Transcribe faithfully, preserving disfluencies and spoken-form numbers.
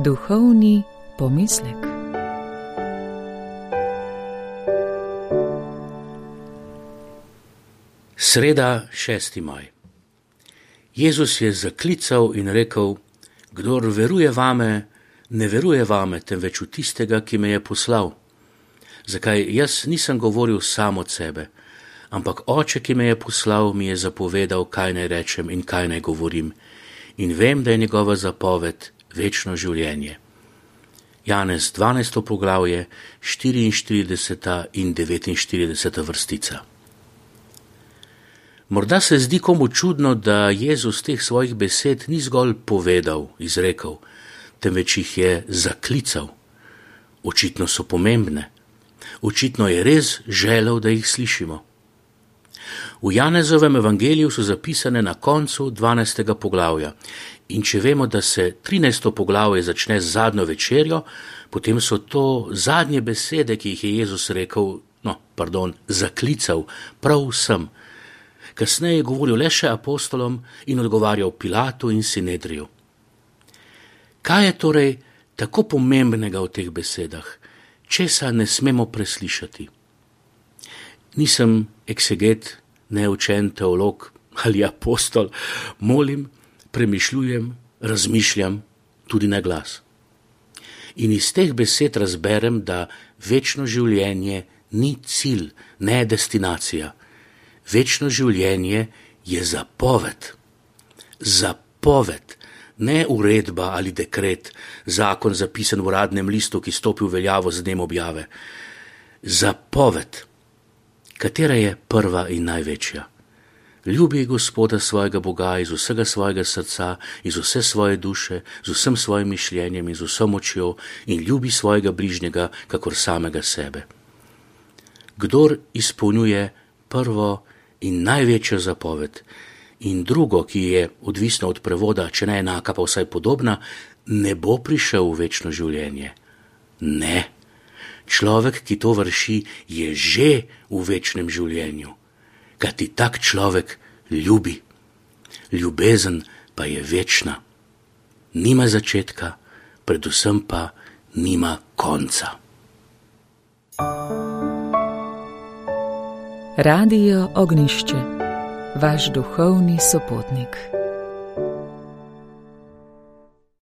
Duhovni pomislek. Sreda, šesti maj. Jezus je zaklical in rekel: Kdor veruje vame, ne veruje vame, temveč v tistega, ki me je poslal. Zakaj jaz nisem govoril sam od sebe, ampak Oče, ki me je poslal, mi je zapovedal, kaj naj rečem in kaj naj govorim. In vem, da je njegova zapoved večno življenje. Janez dvanajsto poglavje, štiriinštirideseta in devetinštirideseta vrstica. Morda se zdi komu čudno, da Jezus teh svojih besed ni zgolj povedal, izrekel, temveč jih je zaklical. Očitno so pomembne. Očitno je res želel, da jih slišimo. V Janezovem evangeliju so zapisane na koncu dvanajstega poglavja. In če vemo, da se trinajsto poglavje začne z zadnjo večerjo, potem so to zadnje besede, ki jih je Jezus rekel, no, pardon, zaklical prav vsem. Kasneje je govoril le še apostolom in odgovarjal Pilatu in Sinedriju. Kaj je torej tako pomembnega v teh besedah? Česa ne smemo preslišati? Nisem ekseget, neučen teolog ali apostol, molim, premišljujem, razmišljam tudi na glas. In iz teh besed razberem, da večno življenje ni cilj, ne destinacija. Večno življenje je zapoved. Zapoved, ne uredba ali dekret, zakon zapisan v uradnem listu, ki stopi v veljavo z dnem objave. Zapoved, katera je prva in največja. Ljubi Gospoda svojega Boga iz vsega svojega srca, iz vse svoje duše, z vsem svojim mišljenjem in z vso močjo in ljubi svojega bližnjega, kakor samega sebe. Kdor izpolnjuje prvo in največjo zapoved in drugo, ki je odvisno od prevoda, če ne enaka, pa vsaj podobna, ne bo prišel v večno življenje. Ne. Človek, ki to vrši, je že v večnem življenju. Kajti tak človek ljubi. Ljubezen pa je večna. Nima začetka, predvsem pa nima konca. Radio Ognjišče, vaš duhovni sopotnik.